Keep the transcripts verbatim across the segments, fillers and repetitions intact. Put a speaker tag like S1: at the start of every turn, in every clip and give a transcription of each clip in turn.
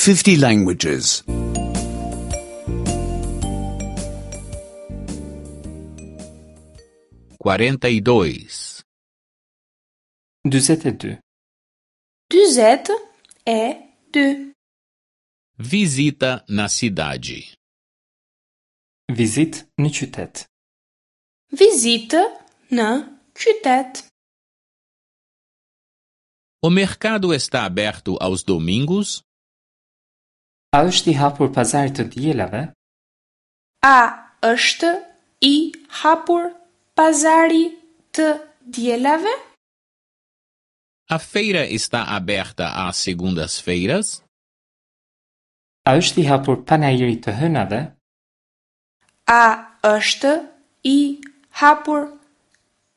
S1: fifty languages.
S2: quarenta e dois,
S3: dyzet e dy.
S4: Dyzet e dy.
S2: Visita na cidade.
S3: Vizitë në qytet.
S4: Vizitë në qytet.
S2: O mercado está aberto aos domingos?
S3: A është i hapur pazari të dielave?
S4: A është i hapur pazari të dielave?
S2: A feira está aberta às segundas-feiras?
S3: A është i hapur panairi të hënave?
S4: A është i hapur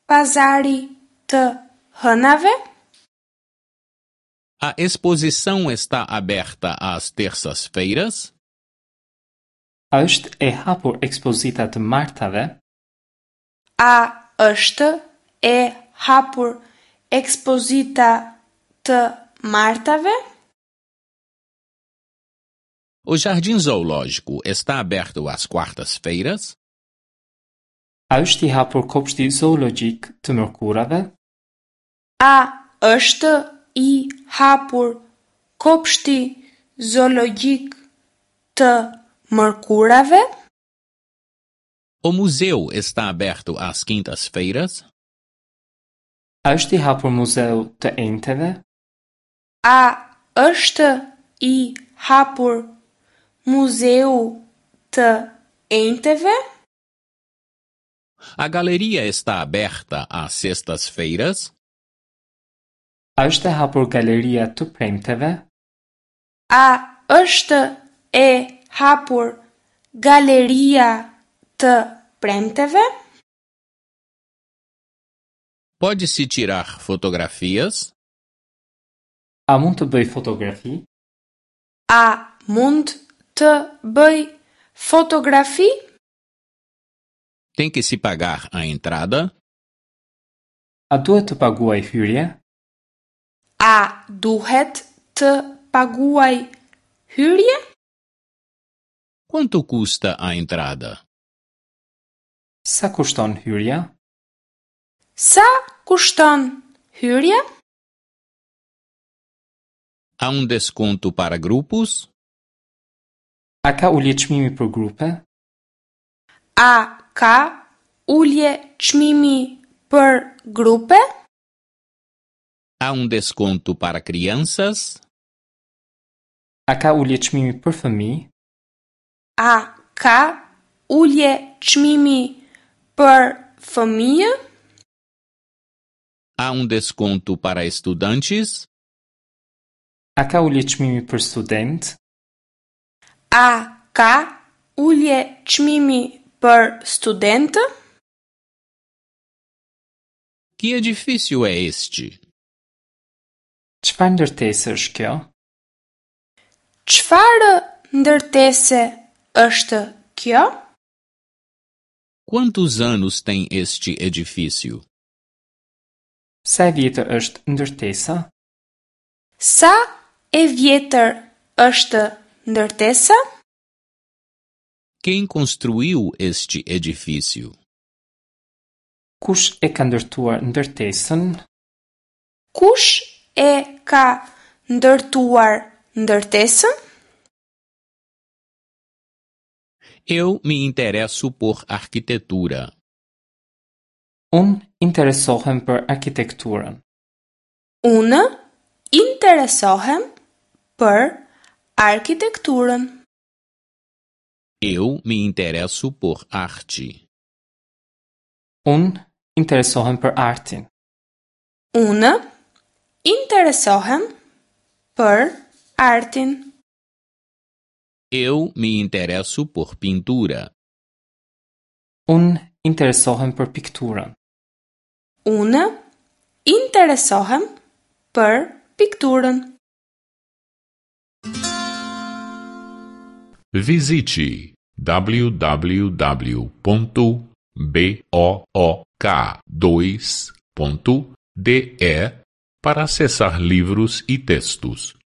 S4: pazari të hënave?
S2: A exposição está aberta às terças-feiras?
S3: A është e hapur ekspozita të martave?
S4: A është e hapur ekspozita të martave?
S2: O jardim zoológico está aberto às quartas-feiras?
S3: A është i hapur kopshti zoologjik të mërkurave?
S4: A është i hapur kopshti zoologjik të mërkurave?
S2: O museu está aberto às quintas-feiras?
S3: A është i hapur muzeu të enjteve?
S4: A është i hapur muzeu të enjteve?
S2: A galeria está aberta às sextas-feiras?
S3: A është e hapur galeria të premteve?
S4: A është e hapur galeria të premteve?
S2: Pode-se tirar fotografias?
S3: A mund të bëj fotografi?
S4: A mund të bëj fotografi?
S2: Tem que se pagar a entrada?
S3: A duhet të paguaj hyrje?
S4: A duhet të paguaj hyrje?
S2: Quanto custa a entrada?
S3: Sa kushton hyrja?
S4: Sa kushton hyrja?
S2: Há um desconto para grupos?
S3: A ka ulje çmimi për grupe?
S4: A ka ulje çmimi për grupe?
S2: Há um desconto para crianças?
S3: A ka ulje çmimi për fëmijë?
S4: A ka ulje çmimi për fëmijë?
S2: Há um desconto para estudantes?
S3: A ka ulje çmimi për student?
S4: A ka ulje çmimi për studentë?
S2: Que edifício é este?
S3: Çfarë ndërtese është kjo?
S4: Çfarë ndërtese është kjo?
S2: Quantos anos tem este edifício?
S3: Sa e vjetër është ndërtesa?
S4: Sa e vjetër është ndërtesa?
S2: Quem construiu este edifício?
S3: Kush e ka ndërtuar ndërtesën?
S4: Kush e ka ndërtuar ndërtesën?
S2: Eu me interesso por arquitetura.
S3: Unë interesohem për arkitekturën.
S4: Unë interesohem për arkitekturën.
S2: Eu me interesso por arte.
S3: Unë interesohem për artin.
S4: Unë interesohem për artin.
S2: Eu me interesso por pintura.
S3: Unë interesohem për pikturën.
S4: Unë interesohem për pikturën.
S5: Visite w w w ponto b o o k dois ponto d e para acessar livros e textos.